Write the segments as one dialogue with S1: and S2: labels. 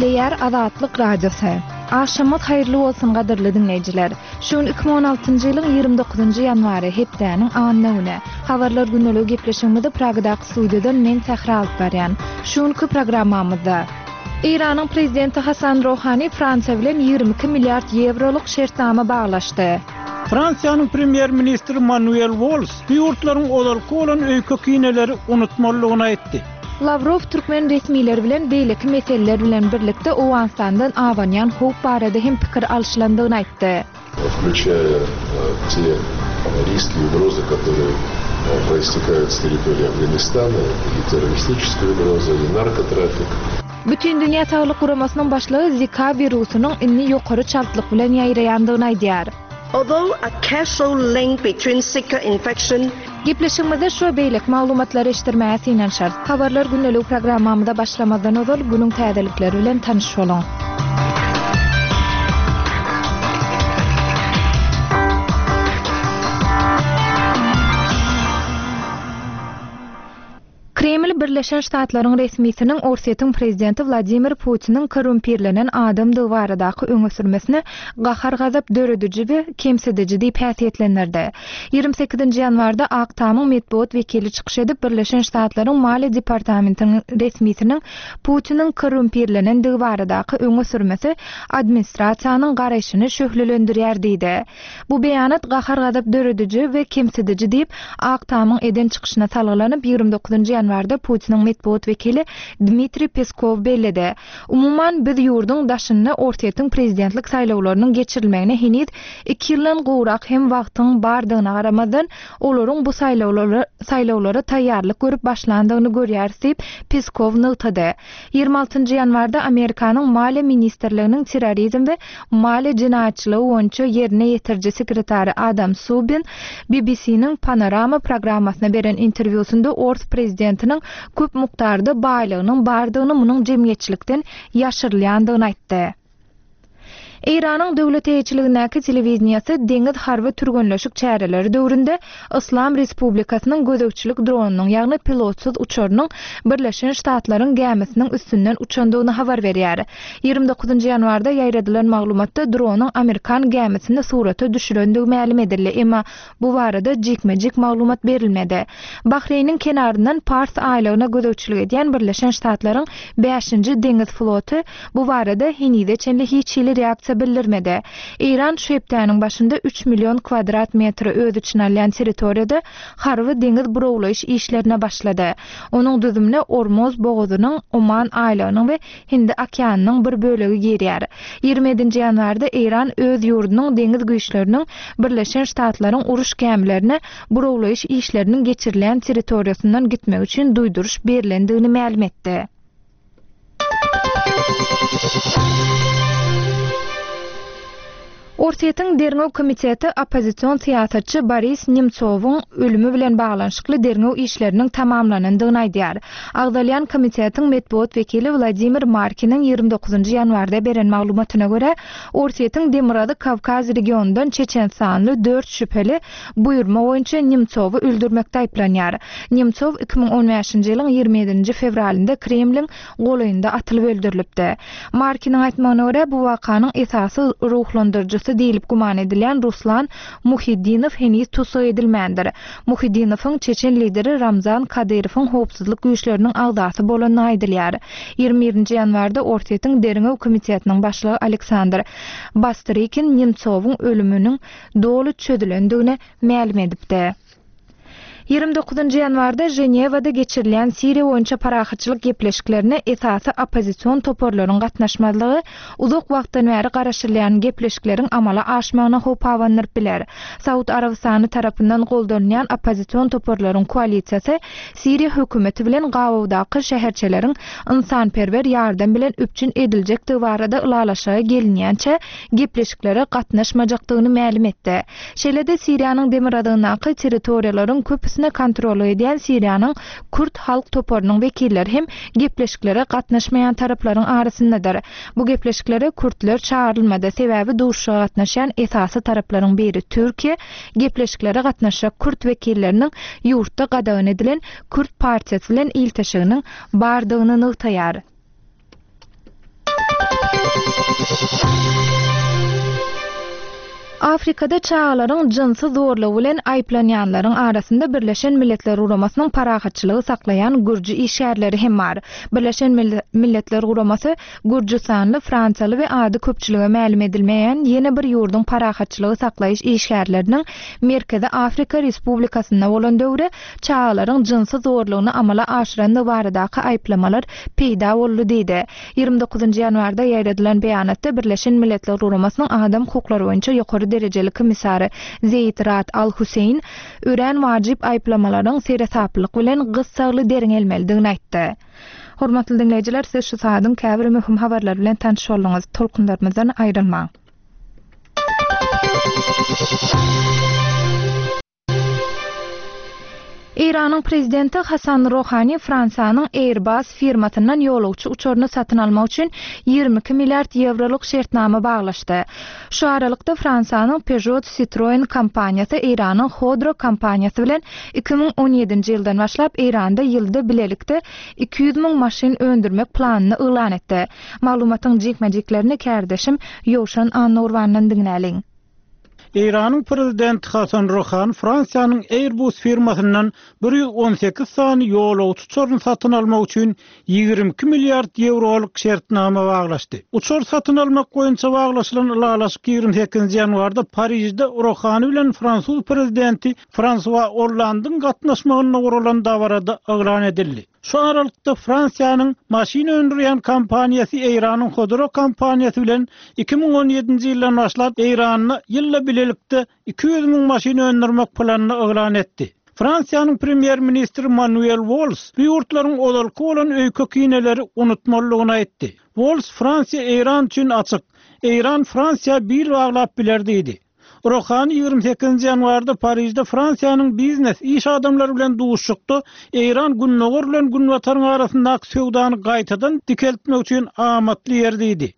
S1: Gepleýär Azatlyk Radiosy. Agşamyňyz haýyrly bolsun gadyrly diňleýjiler. Şu gün 2016-njy ýylyň 29-njy ýanwary, hepdäniň anna güni. Habarlar gündeligi gepleşigimizi Pragadaky studiýadan men Sähra alyp barýan. Şu günki programmamyzda. Eýranyň prezidenti Hasan Rohani Fransiýa bilen 22 milliard ýewrolyk şertnama baglaşdy.
S2: Fransiýanyň premýer-ministri Manuel Walls bu ýurtlaryň ozalky bolan öýke-kineleri unutmalydygyny aýtdy.
S1: Lawrow türkmen resmileri bilen beýleki meseleler bilen birlikde Owganystandan abanýan howp barada hem pikir alşylandygyny aýtdy.
S3: Wklýuçaýa te riski i ugrozy, kotorye proistekают s territoriýi Afganistana, i terroristiçeskaýa ugroza, i narkotrafik.
S1: Bütindünýä Saglyk Guramasynyň başlygy Zika wirusynyň indi ýokary çaltlyk bilen ýaýraýandygyny aýdýar.
S4: Although a causal link between Zika infection
S1: Gepleşigimizde şu we beýleki maglumatlary eşitdirmäge synanyşarys. Habarlar gündeligi programmamyza başlamazdan ozal günüň täzelikleri bilen tanyş boluň. Kreml Birleşen Ştatlaryň resmisiniň Orsýetiň prezidenti Wladimir Putiniň korrumpirlenen adamdygy baradaky öňe sürmesini gahar-gazap dörediji we kemsidiji diýip häsiýetlendirdi. 28-nji ýanwarda Ak Tamyň metbugat wekili çykyş edip, Birleşen Ştatlaryň Maliýe departamentiniň resmisiniň Putiniň korrumpirlenendigi baradaky öňe sürmesi administrasiýanyň garaýşyny şöhlelendirýär diýdi. Bu beýanat gahar-gazap dörediji we kemsidiji diýip, Ak Tamyň eden çykyşyna salgylanyp, 29 ýanwarda Putiniň metbugat wekili Dmitriý Peskow belledi. Umuman, biz ýurduň daşynda Orsýetiň prezidentlik saýlawlarynyň geçirilmegine heniz iki ýyldan gowrak hem wagtyň bardygyna garamazdan, olaryň bu saýlawlara taýýarlyk görüp başlandygyny görýäris diýip, Peskow nygtady. 26 ýanwarda Amerikanyň Maliýe ministrliginiň terrorizm we maliýe jenaýatçylygy boýunça ýerine ýetiriji sekretary Adam Subin BBC-niň Panorama programmasyna beren interwýusynda ors prezidentiniň köp mukdarda baýlygynyň bardygyny munuň jemgyýetçilikden ýaşyrylýandygyny aýtdy. Eýranyň döwlet eýeçiligindäki telewideniýesi deňiz harby türgenleşik çäreleri döwründe Yslam Respublikasynyň gözegçilik dronynyň, ýagny pilotsyz uçarynyň Birleşen Ştatlaryň gämisiniň üstünden uçandygyny habar berýär. 29 ýanwarda ýaýradylan maglumatda dronyň amerikan gämisini surata düşürendigi mälim edildi, emma Bu barada jikme-jik maglumat berilmedi. Bahreýniň kenaryndan Pars aýlagyna gözegçilik edýän Birleşen Ştatlaryň Bäşinji deňiz floty bu barada henize çenli hiç hili reaksiýa bildirmedi. Eýran şu hepdäniň başynda üç million kwadrat metri öz içine alýan territoriýada harby-deňiz burawlaýyş işlerine başlady. Onuň düzümine Ormuz bogazynyň, Oman aýlagynyň we Hindi okeanynyň bir bölegi girýär. 27-nji ýanwarda Eýran öz ýurdunyň deňiz güýçleriniň Birleşen Ştatlaryň uruş gämilerine burawlaýyş işleriniň geçirilýän territoriýasyndan gitmegi üçin duýduryş berlendigini mälim etdi. Orsýetiň Derňew komiteti oppozision syýasatçy Boris Nemtsowyň ölümi bilen baglanyşykly derňew işleriniň tamamlanandygyny aýdýar. Agzalýan komitetiň metbugat wekili Wladimir Markiniň 29 ýanwarda beren maglumatyna görä, Orsýetiň Demirgazyk Kawkaz regionyndan çeçenistanly dört şübheli buýurma boýunça Nemtsowy öldürmekde aýyplanýar. Nemtsow 2015-nji ýylyň 27-nji fewralynda Kremliň golaýynda atylyp öldürilipdi. Markiniň aýtmagyna görä, bu wakanyň esasy ruhlandyryjysy diýlip güman edilýän Ruslan Muhiddinow heniz tussag edilmändir. Muhiddinowyň çeçen lideri Ramzan Kadyrowyň howpsuzlyk güýçleriniň agzasy bolandygy aýdylýar. 21-nji ýanwarda Orsýetiň Derňew komitetiniň başlygy Aleksandr Bastrykin Nemtsowyň ölüminiň doly çözülendigini mälim edipdi. 29-njy ýanwarda Ženewada geçirilýän Siriýa boýunça parahatçylyk gepleşiklerine esasy oppozision toparlaryň gatnaşmazlygy uzak wagtdan bäri garaşylýan gepleşikleriň amala aşmagyna howp abandyryp biler. Saud Arabystany tarapyndan goldanylýan oppozision toparlaryň koalisiýasy Siriýa hökümeti bilen gabawdaky şäherçeleriň ynsanperwer ýardam bilen üpjün ediljekdigi barada ylalaşyga gelinýänçä gepleşiklere gatnaşmajakdygyny mälim etdi. Şeýle-de Siriýanyň demirgazygyndaky territoriýalaryň köpüsine kontrollyk edýän Siriýanyň kürt halk toparynyň wekilleri hem gepleşiklere gatnaşmaýan taraplaryň arasyndadyr. Bu gepleşiklere kürtler çagyrylmady, sebäbi duşuşyga gatnaşýan esasy taraplaryň biri Türkiýe gepleşiklere gatnaşjak kürt wekilleriniň ýurtda gadagan edilen Kürt partiýasy bilen ilteşiginiň bardygyny nygtaýar. Afrikada çagalaryň jynsy zorlugy bilen aýyplanýanlaryň arasynda Birleşen Milletler Guramasynyň parahatçylygy saklaýan gürji işgärleri hem bar. Birleşen Milletler Guramasy gürjüstanly, fransiýaly we ady köpçülige mälim edilmeýän ýene bir ýurduň parahatçylygy saklaýyş işgärleriniň Merkezi Afrika Respublikasynda bolan döwri çagalaryň jynsy zorlugyny amala aşyrandygy baradaky aýyplamalar peýda boldy diýdi. 29 ýanwarda ýaýradylan beýanatda Birleşen Milletler Guramasynyň adam hukuklary boýunça ýokary derejeli komissary Zeýid Raad Al-Husseýn örän wajyp aýyplamalaryň seresaplylyk bilen gyssagly derňelmelidigini aýtdy. Hormatly diňleýjiler, siz şu saadyň käbir möhüm habarlary bilen tanyş bolduňyz. Tolkunlarymyzdan aýrylmaň. Eýranyň prezidenti Hasan Rohani Fransiýanyň Airbus firmasyndan ýolagçy uçaryny satyn almak üçin 22 milliard ýewrolyk şertnama baglaşdy. Şu aralykda Fransiýanyň Peugeot Citroen kompaniýasy Eýranyň Khodro kompaniýasy bilen 2017-nji ýyldan başlap Eýranda ýylda bilelikde 200 müň maşyn öndürmek planyny yglan etdi. Maglumatyň jikme-jiklerini kärdeşim Ýowşan Annagurbandan diňläliň.
S2: Eýranyň prezidenti Hasan Ruhani Fransiýanyň Airbus firmasyndan 118 sany ýolagçy uçaryny satyn almak üçin 22 milliard ýewrolyk şertnama baglaşdy. Uçar satyn almak boýunça baglaşylan ylalaşyk 28-nji ýanwarda Parižde Ruhani bilen fransuz prezidenti Fransua Ollandyň gatnaşmagynda guralan dabarada yglan edildi. Şu aralykda Fransiýanyň maşyn öndürýän kompaniýasy Eýranyň Khodro kompaniýasy bilen 2017-nji ýyldan başlap Eýranda ýylda bilelikde 200 müň maşyn öndürmek planyny yglan etdi. Fransiýanyň premýer-ministri Manuel Walls bu ýurtlaryň ozalky bolan öýke-kineleri unutmalydygyny aýtdy. Walls Fransiýa Eýran üçin açyk. Eýran Fransiýa bil baglap biler diýdi. Rohani 28-nji ýanwarda Parižde Fransiýanyň biznes, iş adamlary bilen duşuşykda Eýran Gündogar bilen Günbataryň arasyndaky söwdany gaýtadan dikeltmek üçin amatly ýer diýdi.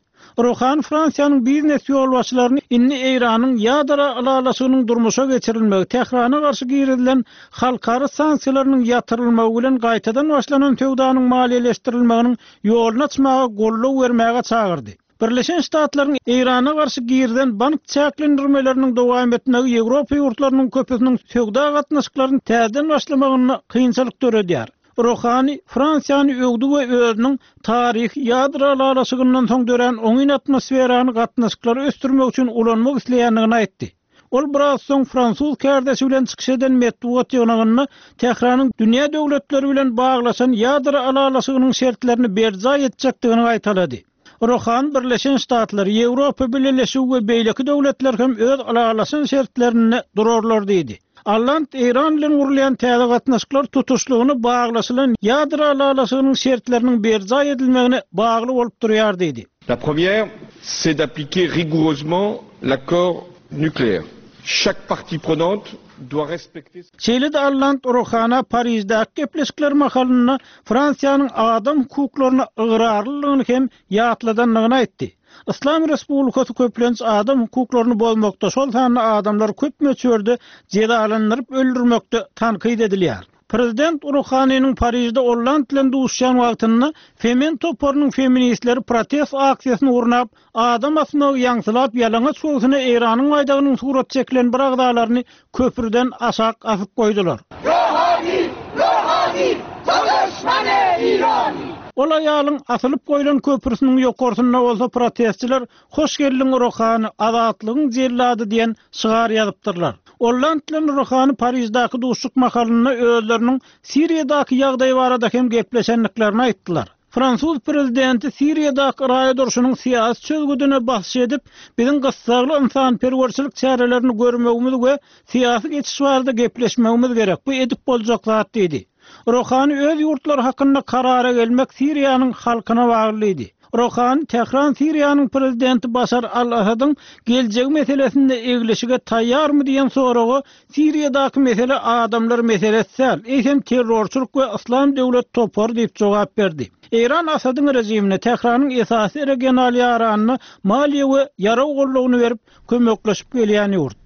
S2: Rohani Fransiýanyň biznes ýolbaşçylaryny indi Eýranyň ýadro ylalaşygynyň durmuşa geçirilmegi, Tährana garşy girizilen halkara sanksiýalarynyň ýatyrylmagy bilen gaýtadan başlanan söwdanyň maliýeleşdirilmeginiň ýoluny açmaga goldaw bermäge çagyrdy. Birleşen Ştatlaryň Eýrana garşy girizen bank çäklendirmeleriniň dowam etmegi Ýewropa ýurtlarynyň köpüsiniň söwda gatnaşyklaryny täzeden başlamagynda kynçylyk döredýär. Rohani Fransiýany öwdi we özüniň taryhy ýadro ylalaşygyndan soň dörän oňyn atmosferany gatnaşyklary ösdürmek üçin ulanmak isleýändigini aýtdy. Ol biraz soň fransuz kärdeşi bilen çykyş eden metbugat ýygnagynda Tähranyň dünýä döwletleri bilen baglaşan ýadro ylalaşygynyň şertlerini berjaý etjekdigini gaýtalady. Rohani Birleşen Ştatlar, Ýewropa Bileleşigi we beýleki döwletler hem öz ylalaşan şertlerinde durarlar diýdi. Alland Eýran bilen gurulýan täze gatnaşyklar tutuşlygyna baglaşylan ýadro ylalaşygynyň şertleriniň berjaý edilmegine bagly bolup durýar diýdi.
S5: La première, c'est d'appliquer rigoureusement l'accord nucléaire. Chaque partie prenante doit respecter.
S2: Şeýle-de Alland Rohana Pariždäki gepleşikler mahalynda Fransiýanyň adam hukuklaryna ygrarlylygyny hem ýatladandygyny aýtdy. Yslam Respublikasy köplenç adam hukuklaryny bozmakda, şol sanda adamlary köp möçberde jezalandyryp öldürmekde tankyt edilýär. Prezident Ruhaniniň Parižde Olland bilen duşuşýan wagtynda Femen toparynyň feministleri protest aksiýasyny gurnap, adam asmagy ýaňsylap ýalaňaç göwsüne Eýranyň baýdagynyň suraty çekilen bir agzalaryny köprüden aşak asyp goýdular.
S6: Rohani! Rohani! To duşmany Irani!
S2: Ol aýalyň asylyp goýlan köprüsiniň ýokarsynda bolsa protestçiler Hoş geldiň Rohani, azatlygyň jellady diýen şygar ýazypdyrlar. Olland bilen Rohani Pariždäki duşuşyk mahalynda özleriniň Siriýadaky ýagdaý barada hem gepleşendiklerini aýtdylar. Fransuz prezidenti Siriýadaky raýat urşunyň syýasy çözgüdine basyş edip, biziň gyssagly ynsanperwerçilik çärelerini görmegimiz we syýasy geçiş barada gepleşmegimiz gerek, bu edip boljak zat diýdi. Rohani öz ýurtlary hakynda karara gelmek Siriýanyň halkyna bagly diýdi. Rohani Tähran Siriýanyň prezidenti Başar al-Asadyň geljegi meselesinde eglişige taýýarmy diýen soraga Siriýadaky mesele adamlar meselesi däl, eýsem terrorçylyk we Yslam döwlet topary diýip jogap berdi. Eýran Asadyň režimine Tähranyň esasy regional ýaranyna maliýe we ýarag goldawyny berip kömekleşip gelýän ýurt.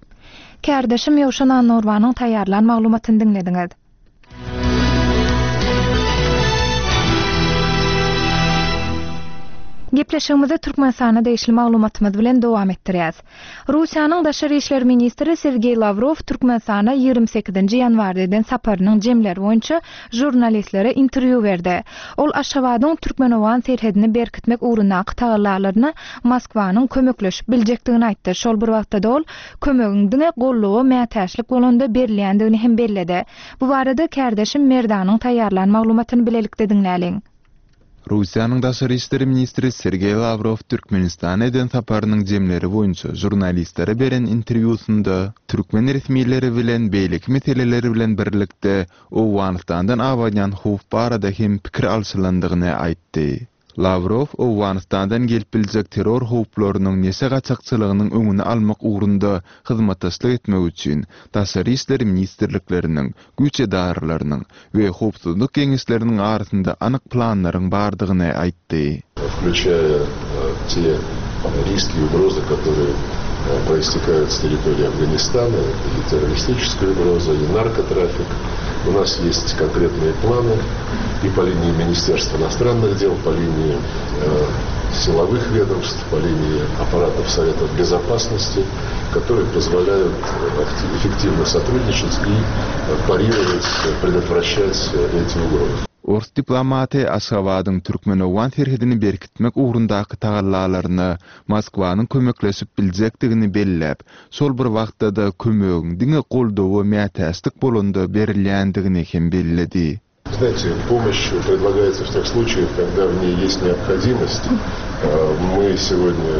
S1: Kärdeşim Ýowşan Annagurbanyň taýýarlan maglumatyny diňlediňiz. Gepleşigimizi Türkmenistana degişli maglumatymyz bilen dowam etdirýäs. Russiýanyň daşary işler ministri Sergeý Lawrow Türkmenistana 28-nji ýanwarda eden saparynyň jemleri boýunça žurnalistlere interwýu berdi. Ol Aşgabadyň türkmen-owgan serhedini berkitmek ugrundaky tagallalaryna Moskwanyň kömekleşip biljekdigini aýtdy. Şol bir wagtda-da ol kömegiň diňe golluga mätäçlik bolanda berilýändigini hem belledi. Bu barada kärdeşim Merdanyň taýýarlan maglumatyny bilelikde diňläliň.
S7: Russiýanyň daşary işler ministri Sergeý Lawrow Türkmenistana eden saparynyň jemleri boýunça žurnalistlere beren interwýusynda türkmen resmileri bilen beýleki meseleler bilen birlikde Owganystandan abanýan howp barada hem pikir alşylandygyny aýtdy. Lawrow Owganystandan gelip biljek terror howplarynyň neşe gaçakçylygynyň öňüni almak ugrunda hyzmatdaşlyk etmek üçin Daşary işler ministrlikleriniň, güýç edaralarynyň we howpsuzlyk geňeşleriniň arasynda anyk planlaryň bardygyny aýtdy.
S3: Включая те риски и угрозы, которые проистекают с территории Афганистана, и террористическая угроза, и наркотрафик. У нас есть конкретные планы и по линии Министерства иностранных дел, по линии силовых ведомств, по линии аппаратов Советов Безопасности, которые позволяют эффективно сотрудничать и парировать, предотвращать эти угрозы.
S7: Ors diplomaty Aşgabadyň türkmen-owgan serhedini berkitmek ugrundaky tagallalaryna Moskwanyň kömekleşip biljekdigini belläp, şol bir wagtda-da kömegiň diňe goldawa mätäçlik bolanda berilýändigini hem belledi.
S3: Знаете, помощь предлагается в тех случаях, когда в ней есть необходимость. Мы сегодня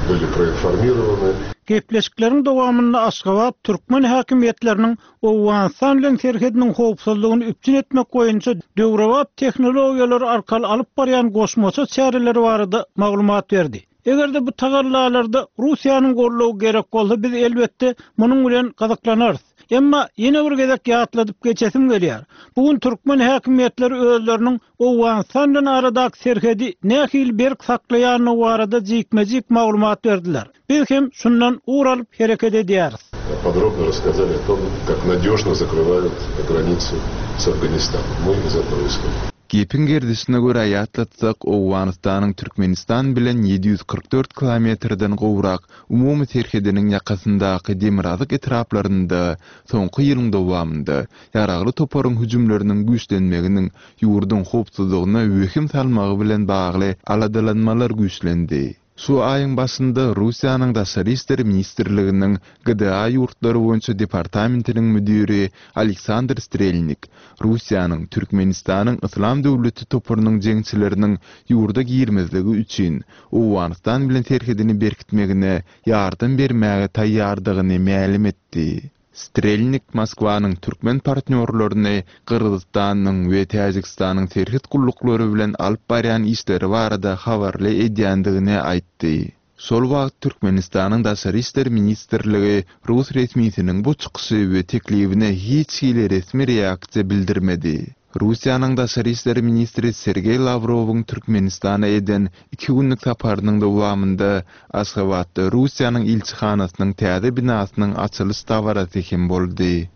S3: были проинформированы.
S2: Gepleşikleriň dowamynda Aşgabat türkmen häkimiýetleriniň Owganystan bilen serhediniň howpsuzlygyny üpjün etmek boýunça döwrebap tehnologiýalar arkaly alyp barýan goşmaça çäreleri barada maglumat berdi. Eger-de bu tagallalarda Russiýanyň goldawy gerek bolsa, biz, elbetde, munuň bilen gyzyklanarys. Emma ýene bir gezek ýatladyp geçesim gelýär. Bu gün türkmen häkimiýetleri özleriniň Owganystan bilen aradaky serhedi nähili berk saklaýandygy barada jikme-jik maglumat berdiler. Biz hem şundan ugur alyp hereket edýäris.
S3: Podrobno rasskazali o tom, kak nadýožno zakrywaýut granicu s Afganistanom. My iz etogo ishodim.
S7: Gepiň gerdişine görä ýatlatsak, Owganystanyň Türkmenistan bilen 744 kilometrden gowrak umumy serhediniň ýakasyndaky demirgazyk etraplarynda soňky ýylyň dowamynda ýaragly toparyň hüjümleriniň güýçlenmeginiň ýurduň howpsuzlygyna wehim salmagy bilen bagly aladalanmalar güýçlendi. Şu aýyň başynda Russiýanyň Daşary işler ministrliginiň GDA ýurtlary boýunça departamentiniň müdiri Aleksandr Strelnik Russiýanyň Türkmenistanyň Yslam döwleti toparynyň jeňçileriniň ýurda girmezligi üçin Owganystan bilen serhedini berkitmegine ýardam bermäge taýýardygyny mälim etdi. Strelnik Moskwanyň türkmen partnýorlaryny Gyrgyzystanyň we Täjigistanyň serhet gulluklary bilen alyp barýan işleri barada habarly edýändigini aýtdy. Şol wagt Türkmenistanyň Daşary işler ministrligi rus resmisiniň bu çykyşy we teklibine hiç hili resmi reaksiýa bildirmedi. Russiýanyň daşary işler ministri Sergeý Lawrowyň Türkmenistana eden iki günlük saparynyň dowamynda Aşgabatda Russiýanyň ilçihanasynyň täze binasynyň açylyş dabarasy hem boldy.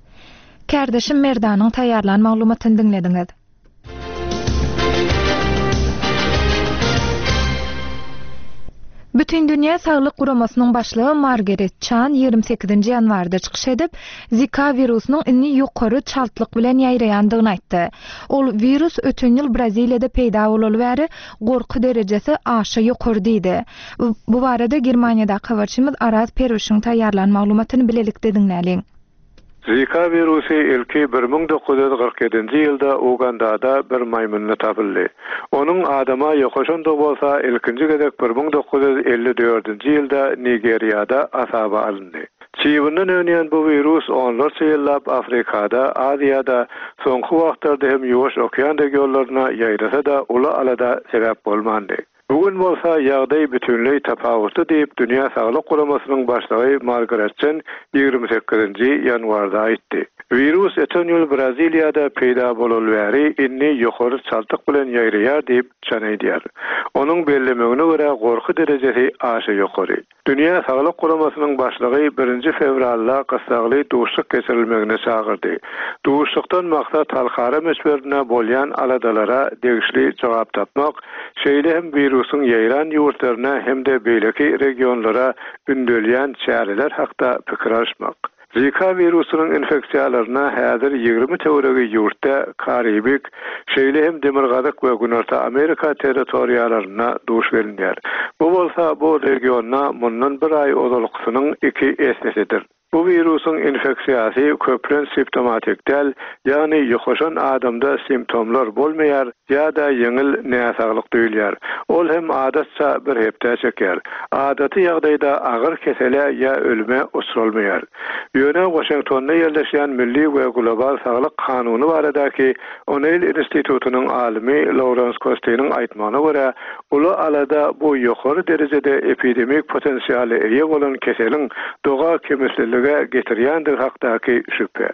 S1: Kärdeşim Merdanyň taýýarlan maglumatyny diňlediňiz. Bütindünýä saglyk guramasynyň başlygy Margaret Çan 28-nji ýanwarda çykyş edip, Zika wirusynyň indi ýokary çaltlyk bilen ýaýraýandygyny aýtdy. Ol wirus öten ýyl Braziliýada peýda bolaly bäri gorky derejesi aşa ýokary diýdi. Bu barada Germaniýadaky habarçymyz Araz Perwişiň taýýarlan maglumatyny bilelikde diňläliň.
S8: Zika wirusy ilki 1947-nji ýylda Ugandada bir maýmynda tapyldy. Onuň adama ýokaşandygy bolsa ilkinji gezek 1954-nji ýylda Nigeriýada hasaba alyndy. Çybyndan önýän bu wirus onlarça ýyllap Afrikada, Aziýada, soňky wagtlarda hem Ýuwaş okean regionlaryna ýaýrasa-da uly alada sebäp bolmandy. Bu gün bolsa ýagdaý bütinleý tapawutly diýip, Dünýä Saglyk Guramasynyň başlygy Margaret Çen 28-nji ýanwarda aýtdy. Wirus öten ýyl Braziliýada peýda bolaly bäri indi ýokary çaltlyk bilen ýaýraýar diýip, Çen aýdýar. Onuň bellemegine görä, gorky derejesi aşa ýokary. Dünýä Saglyk Guramasynyň başlygy birinji fewralda gyssagly duşuşyk geçirilmegine çagyrdy. Duşuşykdan maksat halkara möçberinde bolýan aladalara degişli jogap tapmak, şeýle hem wirusyň. wirusyň ýaýran ýurtlaryna hem-de beýleki regionlara ündelýän çäreler hakda pikir alyşmak. Zika wirusynyň infeksiýalaryna häzir 20 töweregi ýurtda, Karibik, şeýle hem Demirgazyk we Günorta Amerika territoriýalarynda duş gelinýär. Bu bolsa bu regionda mundan bir aý ozalkysynyň iki essesidir. Bu wirusyň infeksiýasy köplenç simptomatik däl, ýagny ýokaşan adamda simptomlar bolmaýar ýa-da ýeňil näsaglyk duýulýar. Ol hem adatça bir hepdä çekýär. Adaty ýagdaýda agyr kesele ýa ölüme uçralmaýar. Ýöne Waşingtonda ýerleşýän Milli we global saglyk kanuny baradaky O'Neil institutynyň alymy Lawrens Kostiniň aýtmagyna görä, Uly alada bu ýokary derejede epidemik potensiala eýe bolan keseliň doga kemislilige getirýändigi hakdaky şübhe.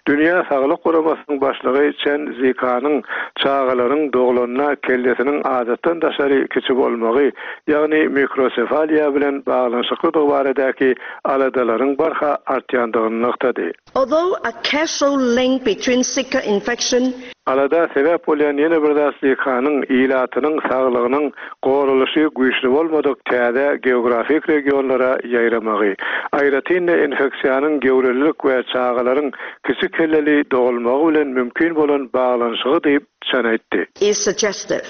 S8: Dünýä Saglyk Guramasynyň başlygy Çen Zikanyň çagalaryň doglanda kellesiniň adatdan daşary kiçi bolmagy, ýagny mikrosefaliýa bilen baglanyşyklydygy baradaky aladalaryň barha artýandygyny nygtady.
S4: Although a causal link between Zika infection
S8: Alada sebäp bolýan ýene bir zat Zikanyň ilatynyň saglygynyň goralyşy güýçli bolmadyk täze geografik regionlara ýaýramagy. Aýratyn-da infeksiýanyň göwrelilik we çagalaryň kiçi kelleli dogulmagy bilen mümkin bolan baglanyşygy diýip, Çen aýtdy.
S4: is suggestive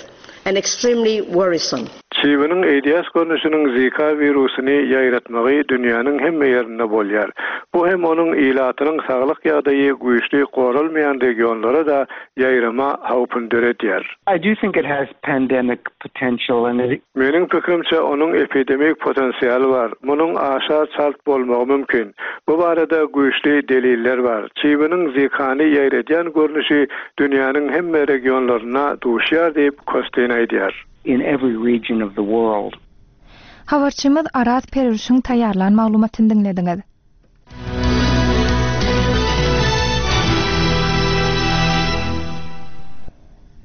S4: and extremely worrisome.
S8: Çybynyň AIDS görnüşiniň Zika wirusyny ýaýratmagy dünýäniň hemme ýerinde bolýar. Bu hem onuň ilatynyň saglyk ýagdaýy güýçli goralmaýan regionlara-da ýaýrama howpuny döredýär.
S9: I do think it has pandemic potential and it.
S8: Meniň pikirimçe, onuň epidemik potensialy bar. Munuň aşa çalt bolmagy mümkin. Bu barada güýçli deliller bar. Çybynyň Zikany ýaýradýan görnüşi dünýäniň hemme regionlarynda duşýar diýip, Kostin aýdýar.
S9: in every region of the world.
S1: Habarçymyz Araz Perwişiň taýýarlan maglumatyny diňlediňiz.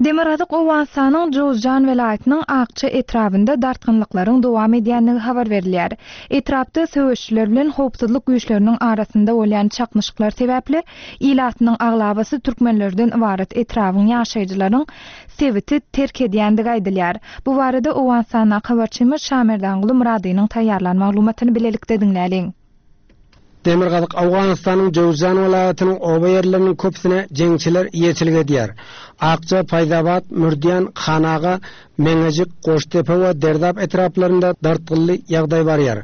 S1: Demirgazyk Owganystanyň Jowzjan welaýatynyň Akça etrabynda dartgynlyklaryň dowam edýändigi habar berilýär. Etrapda söweşijiler bilen howpsuzlyk güýçleriniň arasynda bolýan çaknyşyklar sebäpli ilatynyň aglabasy türkmenlerden ybarat etrabyň ýaşaýjylaryň sebiti terk edýändigi aýdylýar. Bu barada Owganystandaky habarçymyz Şamerdanguly Myradynyň taýýarlan maglumatyny bilelikde diňläliň.
S10: Demirgazyk Owganystanyň Jöwzjan welaýatynyň oba ýerleriniň köpüsine jeňçiler eýeçilik edýär. Akja, Paýzabat, Mürdýan, Hanaga, Meňejik, Goşdepe we Derdap etraplarynda dartgynly ýagdaý barýar.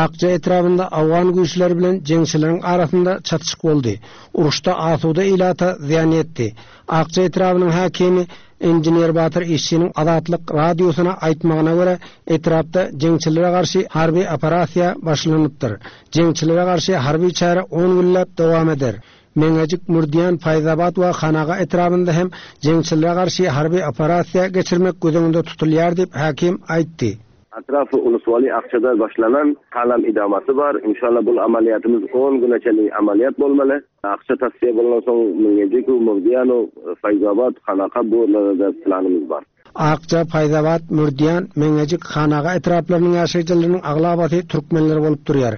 S10: Akja etrabynda owgan güýçleri bilen jeňçileriň arasynda çatyşyk boldy. Uruşda asuda ilata zyýan ýetdi. Akja etrabynyň häkimi inžener Batyr Işçiniň Azatlyk Radiosyna aýtmagyna görä, etrapda jeňçilere garşy harby operasiýa başlanypdyr. Jeňçilere garşy harby çäre on günläp dowam eder. Meňejik, Mürdýan, Paýzabat we Hanaga etrabynda hem jeňçilere garşy harby operasiýa geçirmek göz öňünde tutulýar diýip, häkim aýtdy.
S11: Atrafy Uluswaly Akçada başlanan halam idamasy bar. Inşallah bul amaliyatymyz on güne çenli amaliyat bolmaly. Akça tasfiýe bolandan soň Mingejik, Murdiýano, Faýzabat, Hanaka bu ýerlere-de planymyz bar.
S10: Akja, Paýzabat, Mürdiýan, Meňejik, Hanaga etraplarynyň ýaşaýjylarynyň aglabasy türkmenler bolup durýar.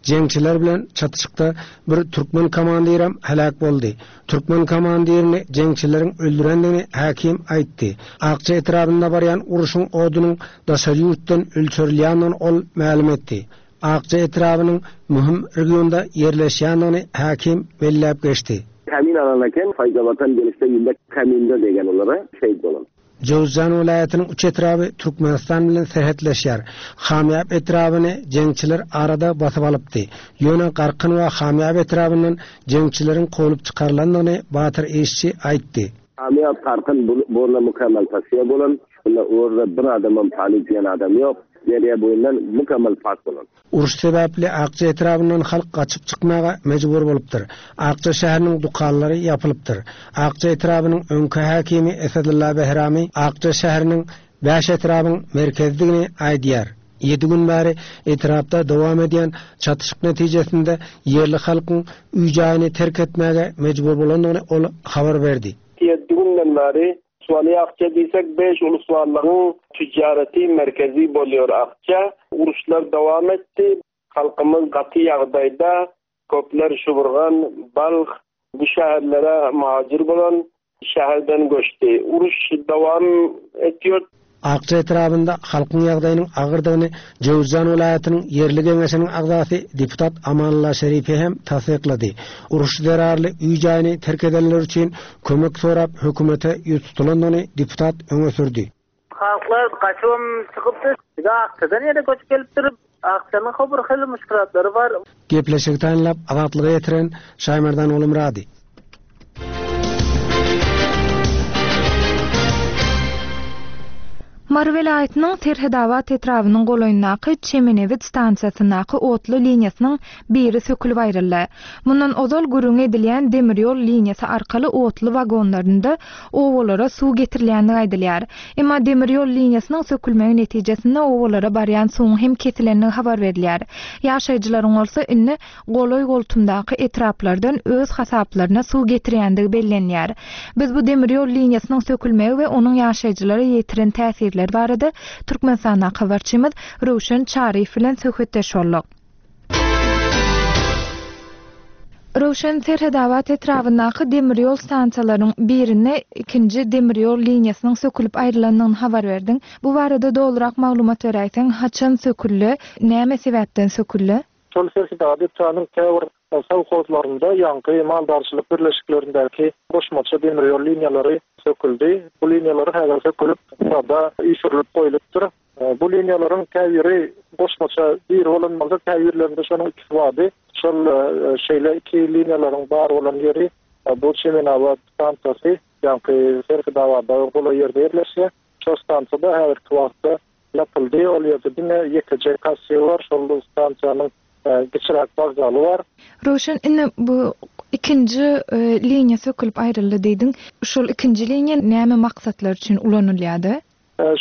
S10: Jeňçiler bilen çatyşykda bir türkmen komandirem heläk boldy. Türkmen komandirini jeňçileriň öldürendigini häkim aýtdy. Akja etrabynda barýan urşuň odunyň daşary ýurtdan ölçerilýändigini ol mälim etdi. Akja etrabynyň möhüm regionda ýerleşýändigini häkim belläp geçdi.
S11: Kamin alan eken, Faýzabatan gelişde ýylda Kaminde degen olara şehit bolan.
S10: Jöwüzjan welaýatynyň üç etraby Türkmenistan bilen serhetleşýär. Hamýap etrabyny jeňçiler arada basyp alypdy. Ýöne Garkyn we Hamýap etrabyndan jeňçileriň kowlup çykarylandygyny Batyr Işçi aýtdy.
S11: Hamýap, Garkyn bu orna mukemmel tasfiýa bolan. Şunda orda bir adamam palit diýen adam ýok. Derýa boýundan mukemmel pak bolan.
S10: Uruş sebäpli Akja etrabyndan halk gaçyp çykmaga mejbur bolupdyr. Akja şäheriniň dükanlary ýapylypdyr. Akja etrabynyň öňki häkimi Esedulla Behrami Akja şäheriniň bäş etrabyň merkezidigini aýdýar. Ýedi gün bäri etrapda dowam edýän çatyşyk netijesinde ýerli halkyň öý-jaýyny terk etmäge mejbur bolandygyny ol habar berdi.
S12: Ýedi günden bäri Suwaly Akja diýsek beş ulusballygyň tüjjareti merkezi bolýar Akja. Uruşlar dowam etdi. Halkymyz gaty ýagdaýda. Köpler Şuburgan, Balh bu şäherlere muhajir bolan şäherden göçdi. Uruş dowam etýär.
S10: Akja etrabynda halkyň ýagdaýynyň agyrdygyny Jöwüzjan welaýatynyň ýerli geňeşiniň agzasy deputat Amanullah Şerifi hem tassyklady. Uruş zerarly öý-jaýyny terk edenler üçin kömek sorap hökümete ýüz tutulandygyny deputat öňe sürdi.
S13: Halklar gaçybam çykypdyr. Bize Akjadan ýene göçüp gelipdir. Akjanyň ho bir hili muşkulatlary bar.
S10: Gepleşigi taýynlap Azatlyga ýetiren Şaýmerdan Gulumyrady.
S1: Mary welaýatynyň Serhedabat etrabynyň golaýyndaky Çemenebit stansiýasyndaky otly liniýasynyň biri sökülip aýryldy. Mundan ozal gürrüňi edilýän demir ýol liniýasy arkaly otly wagonlarynda obalara suw getirilýändigi aýdylýar. Emma demir ýol liniýasynyň sökülmegi netijesinde obalara barýan suwuň hem kesilendigi habar berilýär. Ýaşaýjylaryň bolsa indi golaý-goltumdaky etraplardan öz hasaplaryna suw getirýändigi bellenýär. Biz bu demir ýol liniýasynyň sökülmegi we onuň ýaşaýjylara ýetiren täsirleri barada Türkmenistandaky habarçymyz Röwşen Çaryýew bilen söhbetdeş bolduk. Röwşen Serhedabat etrabyndaky demir ýol stansiýalarynyň birinde ikinji demir ýol liniýasynyň sökülip aýrylandygyny habar berdiň. Bu barada dolurak maglumat beräýseň, haçan söküldi, näme sebäpden söküldi?
S14: Şol Serhedabat etrabynyň käbir sowhozlarynda ýaňky maldarçylyk birleşiklerindäki goşmaça demir ýol liniýalary söküldi. Bu liniýalar häzir sökülip, sada üýşürilip goýlupdyr. Bu liniýalaryň käbiri goşmaça biri bolan bolsa, käbirlerinde şonuň ikisi bardy. Şol şeýle iki liniýalaryň bar bolan ýeri bu Çemenabat stansiýasy, ýaňky Serhidabada golaý ýerde ýerleşýär. Şol stansiýada häzirki wagtda ýapyldy. Ol ýerde diňe ýekeje kassir bar, şol stansiýanyň kiçiräk wokzaly bar.
S1: Röwşen, indi bu ikinji liniýa sökülip aýryldy diýdiň. Şol ikinji liniýa näme maksatlar üçin ulanylýardy?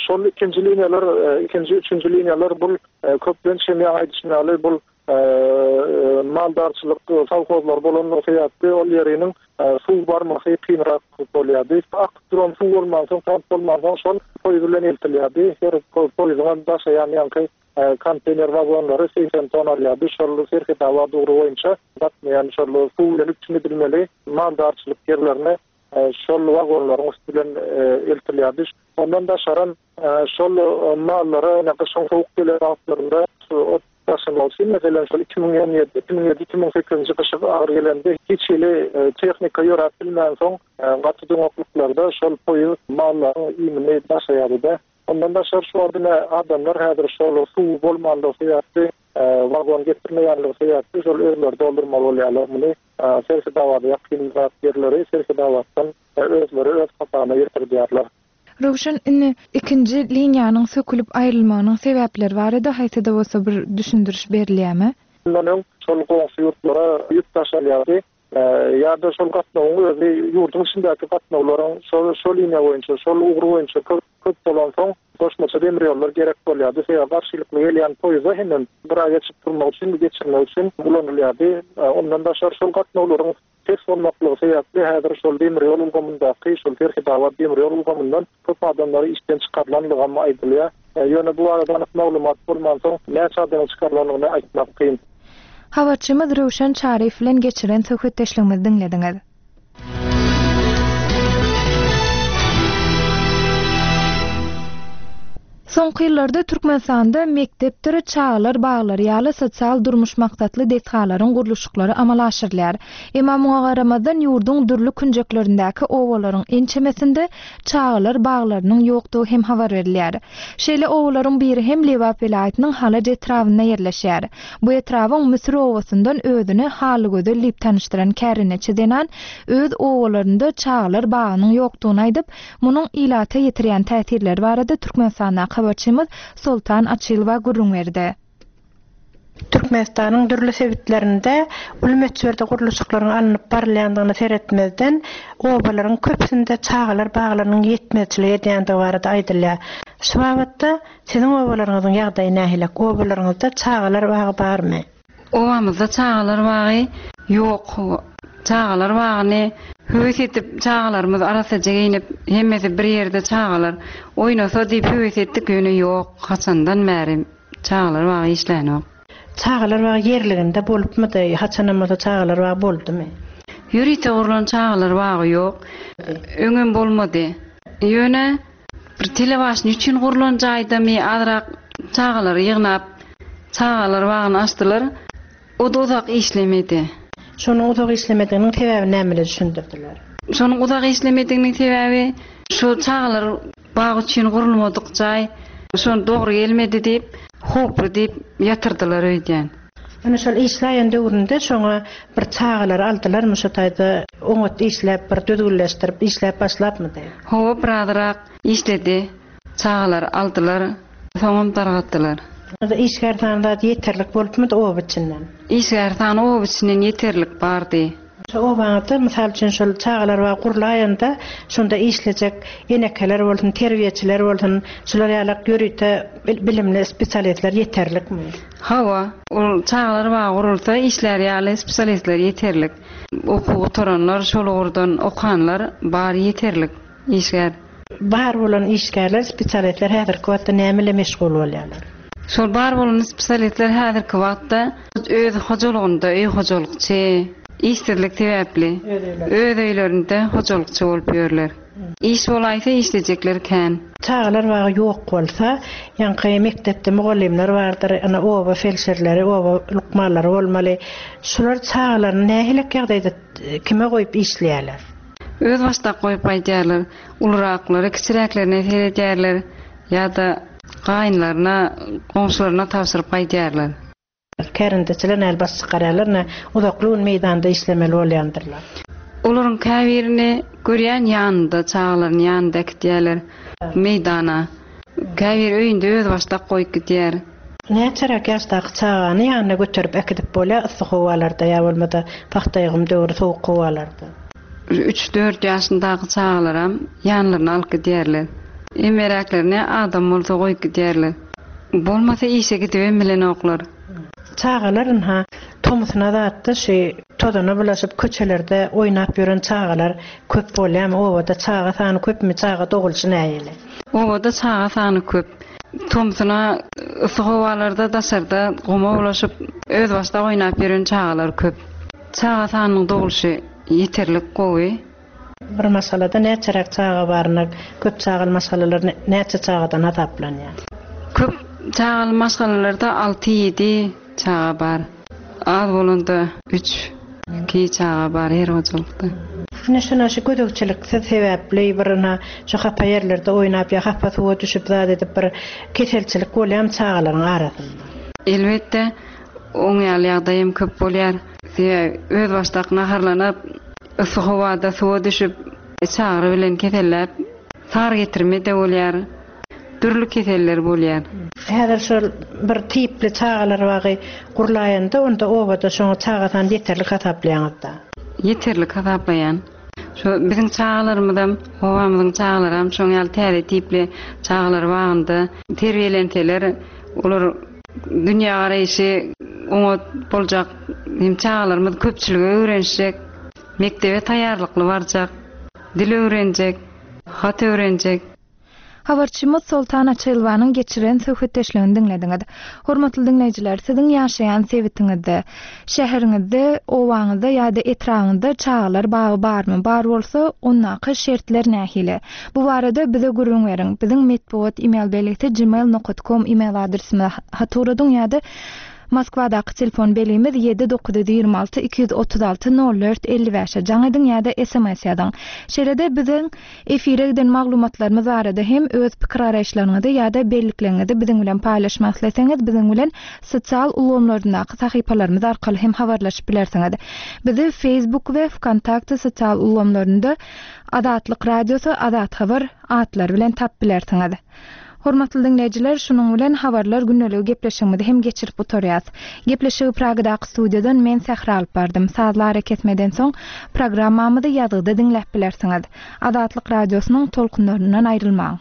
S14: Şol ikinji liniýalar, ikinji, üçünji liniýalar bul köplenç hem ýaňy aýdyşym ýaly bul maldarçylyk sowhozlary bolanlygy sebäpli ol ýeriniň suw barmasy kynrak bolýardy. Akyp duran suw bolmansoň, tank bolmansoň şol poýuz bilen eltilýärdi. Her poýuzyňam daşaýan ýaňky konteýner wagonlary 80 ton alýardy. Şol Serhetabat ugry boýunça gatnaýan şol suw bilen üpjün edilmeli maldarçylyk ýerlerine şol wagonlaryň üsti bilen eltilýärdi. Ondan daşaram şol mallara ine gyşyň sowuk gelen wagtlarynda ot daşamak üçin, meselem, şol 2017, 2007, 2008-nji gyşy agyr gelende hiç hili tehnika ýöräp bilmänsoň, gaty doňaklyklarda şol poýuz mallaryň iýmini daşaýardy-da. Ondan daşary şu wagt ine adamlar häzir şol suw bolmanlygy sebäpli, wagon getirmeýänligi sebäpli şol özleri doldurmaly bolýarlar muny. Serhidabada ýakynrak ýerleri Serhidabatdan özleri öz hasabyna ýetirdýärler.
S1: Röwşen, indi ikinji liniýanyň sökülip aýrylmagynyň sebäpleri barada haýsy-da bolsa bir düşündiriş berilýärmi?
S14: Mundan öň şol goňşy ýurtlara ýük daşalýardy. Ýa-da şol gatnawyň özi ýurduň içindäki gatnawlaryň şol şol liniýa boýunça, şol ugur boýunça köp köp bolansoň, goşmaça demir ýollar gerek bolýardy. Sebäbi garşylykly gelýän poýuzda hemem gyra geçip durmak üçin, geçirmek üçin ulanylýardy. Ondan daşary şol gatnawlaryň pes bolmaklygy sebäpli häzir şol demir ýol ulgamyndaky, şol Serhetabat demir ýol ulgamyndan köp adamlary işden çykarylanlygam aýdylýar. Ýöne bu barada anyk maglumat bolmansoň, näçe adamyň çykarylandygyny aýtmak kyn.
S1: Habarçymyz Röwşen Çaryýew bilen geçiren söhbetdeşligimizi diňlediňiz. Soňky ýyllarda Türkmenistanda mekdepdir çagalar baglary ýaly sosial-durmuş maksatly desgalaryň gurluşyklary amala aşyrylýar. Emma muňa garamazdan, ýurduň dürli künjeklerindäki obalaryň ençemesinde çagalar baglarynyň ýokdugy hem habar berilýär. Şeýle obalaryň biri hem Lebap welaýatynyň Halaç etrabynda ýerleşýär. Bu etrabyň Müsür obasyndan özüni Halygözel diýip tanyşdyran kärendeçi zenan öz obalarynda çagalar bagynyň ýokdugyny aýdyp, munuň ilata ýetirýän täsirleri barada Türkmenistandaky habarçymyz Soltan Açylowa gürrüň berdi.
S15: Türkmenistanyň dürli sebitlerinde uly möçberde gurluşyklaryň alnyp barylýandygyna seretmezden, obalaryň köpüsinde çagalar baglarynyň ýetmezçilik edýändigi barada aýdylýar. Şu babatda siziň obalaryňyzyň ýagdaýy nähili? Obalaryňyzda çagalar bagy barmy?
S16: Obamyzda çagalar bagy ýok. Çagalar bagyny höwes edip çagalarymyz arassaja geýnip hemmesi bir ýerde çagalar oýnasa diýip höwes etdik ýöne ýok haçandan bäri Çagalar bagy işlänok.
S15: Çagalar bagy ýerliginde bolupmydy? Haçanam bolsa çagalar bagy boldumy?
S16: Ýörite gurlan çagalar bagy ýok. Öňem bolmady. Ýöne. Bir telebaşny üçin gurlan jaýdamy azrak çagalary ýygnap çagalar bagyny açdylar. O-da uzak işlemedi.
S15: Şonuň uzak işlemediginiň sebäbini näme bilen düşündirdiler?
S16: Şonuň uzak işlemediginiň sebäbi şu çagalar bagy üçin gurulmadyk jaý şony dogry gelmedi diýip, howply diýip ýatyrdylar öýdýän.
S15: Ine şol işläýen döwründe şoňa bir çagalary aldylarmy şo taýda oňat işläp bir düzgünleşdirip işläp başlapmydy?
S16: Hawa birazrak işledi. Çagalary aldylar, soňam dargatdylar.
S15: Onda işgär sany zat ýeterlik bolupmydy oba içinden?
S16: Işgär sany oba içinden ýeterlik bardy.
S15: Şo obaňyzda, mysal üçin, şol çagalar bagy gurlaýanda, şonda işlejek enekeler bolsun, terbiýeçiler bolsun, şular ýalak ýörite bilimli spesialistler ýeterlikmi?
S16: Hawa, ol çagalar bagy gurulsa, işlär ýaly spesialistler ýeterlik. Okuw gutaranlar, şol ugurdan okanlar bar ýeterlik işgär.
S15: Bar bolan işgärler, spesialistler häzirki wagtda näme bilen meşgul bolýarlar?
S16: Şol bar bolan spesialistler häzirki wagtda öz hojalygynda öý hojalykçy, işsizlik sebäpli öz öýlerinde hojalykçy bolup ýörler. Iş bolaýsa işlejekler kän.
S15: Çagalar bagy ýok bolsa, ýaňky mekdepde mugallymlar bardyr, ine oba felşerleri, oba lukmanlary bolmaly. Şular çagalaryny nähilek ýagdaýda kime goýup işleýärler?
S16: Özbaşdak goýup gaýdýarlar. Uluraklary kiçiräklerine seredýärler ýa-da gaýynlaryna, goňşularyna tabşyryp gaýdýarlar.
S15: Kärendeçiler näl baş çykarýarlar, nä uzakly gün meýdanda işlemeli bolýandyrlar.
S16: Olaryň käbirini görýän ýanynda, çagalaryny ýanynda äkidýärler meýdana. Käbiri öýünde özbaşdak goýup gidýär.
S15: Näçeräk ýaşdaky çagany ýanyna göterip äkidip bolýar yssy howalarda ýa bolmasa pagta ýygym döwri sowuk howalarda?
S16: Üç-dört ýaşyndaky çagalaram ýanlaryna alyp gidýärler. Emmeräklerini adam bolsa goýup gidýärler. Bolmasa işe gidibem bilenoklar.
S15: Çagalar ynha, tomusuna zatda şu tozana bulaşyp köçelerde oýnap ýören çagalar köp bolýarmy? Obada çaga sany köpmi? Çaga dogulyşy nähili?
S16: Obada çaga sany köp. Tomsuna yssy howalarda daşarda guma bulaşyp, özbaşdak oýnap ýören çagalar köp. Çaga sanynyň dogulyşy ýeterlik gowy.
S15: Bir maşgalada näçeräk çaga baryna köp çagaly maşgalalar näçe çagadan hasaplanýar?
S16: Köp çagaly maşgalalarda alty-ýedi çaga bar. Az bolanda üç, iki çaga bar her hojalykda.
S15: Ine şuna şu gözegçiliksiz sebäpli bir ina şu hapa ýerlerde oýnap ýa hapa suwa düşüp zat edip bir keselçilik bolýamy çagalaryň arasynda?
S16: Elbetde oň ýaly ýagdaý hem köp bolýar. Sebäbi özbaşdak naharlanyp, yssy howada suwa düşüp, çagyry bilen keselläp, sar getirme-de bolýar. Dürli keseller bolýar.
S15: Häzir şol bir tipli çagalar bagy gurlaýanda onda obada şoňa çaga sany ýeterlik hasaplaýaňyzda?
S16: Ýeterlik hasaplaýan. Şo biziň çagalarymyzam, obamyzyň çagalaram şoň ýaly täze tipli çagalar bagynda terbiýelenseler, olar dünýägaraýşy oňat boljak, hem çagalarymyz köpçülige öwrenişjek, mekdebe taýýarlykly barjak, dil öwrenjek, hat öwrenjek.
S1: Habarçymyz Soltan Açylowanyň geçiren söhbetdeşligini diňlediňiz. Hormatly diňleýjiler, siziň ýaşaýan sebitiňizde, şäheriňizde, obaňyzda ýa-da etrabyňyzda çagalar bagy barmy? Bar bolsa, ondaky şertler nähili? Bu barada bize gürrüň beriň. Biziň metbugat email belgisi gmail nokat kom email adresimize hat ugradyň ýa-da Moskwadaky telefon belgimiz ýedi 926 236 04 55-e jaň ediň ýa-da sms ýazyň. Şeýle-de biziň Efire giden maglumatlarymyz barada hem öz pikir-garaýyşlaryňyzy ýa-da bellikleriňizi biziň bilen paýlaşmak isleseňiz biziň bilen sosial ulgamlaryndaky sahypalarymyz arkaly hem habarlaşyp bilersiňiz. Bizi Facebook we Wkontakte sosial ulgamlarynda Azatlyk Radiosy, Azat Habar atlary bilen tapyp bilersiňiz. Hormatly diňleýjiler, şunuň bilen Habarlar gündeligi gepleşigimizi hem geçirip gutarýas. Gepleşigi Pragadaky studiýadan men Sähra alyp bardym. Sazly arakesmeden soň programmamyzy ýazgyda diňläp bilersiňiz. Azatlyk Radiosynyň tolkunlaryndan aýrylmaň!